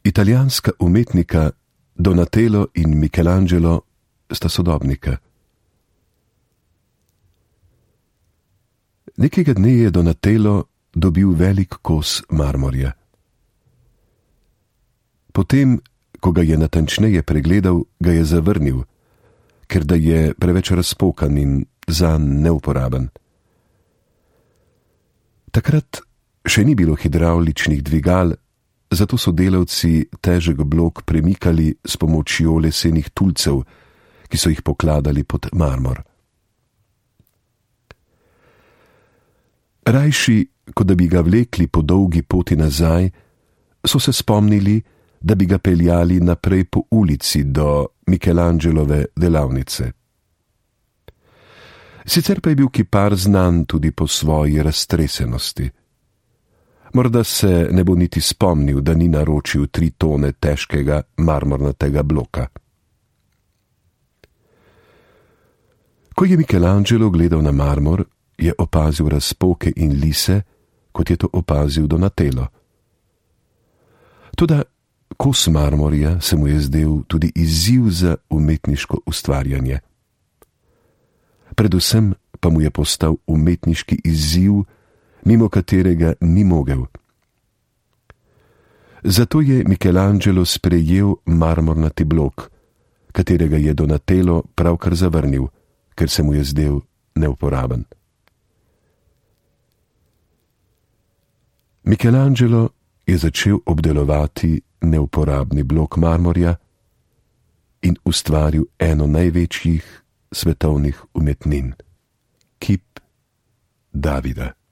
Italijanska umetnika Donatello in Michelangelo sta sodobnika. Nekega dne je Donatello dobil velik kos marmorja. Potem, ko ga je natančneje pregledal, ga je zavrnil, ker da je preveč razpokan in zanj neuporaben. Takrat še ni bilo hidravličnih dvigal, zato so delavci težek blok premikali s pomočjo lesenih tulcev, ki so jih pokladali pod marmor. Rajši, kot da bi ga vlekli po dolgi poti nazaj, so se spomnili, da bi ga peljali naprej po ulici do Michelangelove delavnice. Sicer pa je bil kipar znan tudi po svoji raztresenosti. Morda se ne bo niti spomnil, da ni naročil 3 tone težkega marmornatega bloka. Ko je Michelangelo gledal na marmor, je opazil razpoke in lise, kot je to opazil Donatello. Toda kos marmorja se mu je zdel tudi izziv za umetniško ustvarjanje. Predvsem pa mu je postal umetniški izziv, mimo katerega ni mogel. Zato je Michelangelo sprejel marmornati blok, katerega je Donatello pravkar zavrnil, ker se mu je zdel neuporaben. Michelangelo je začel obdelovati neuporabni blok marmorja in ustvaril eno največjih svetovnih umetnin, kip Davida.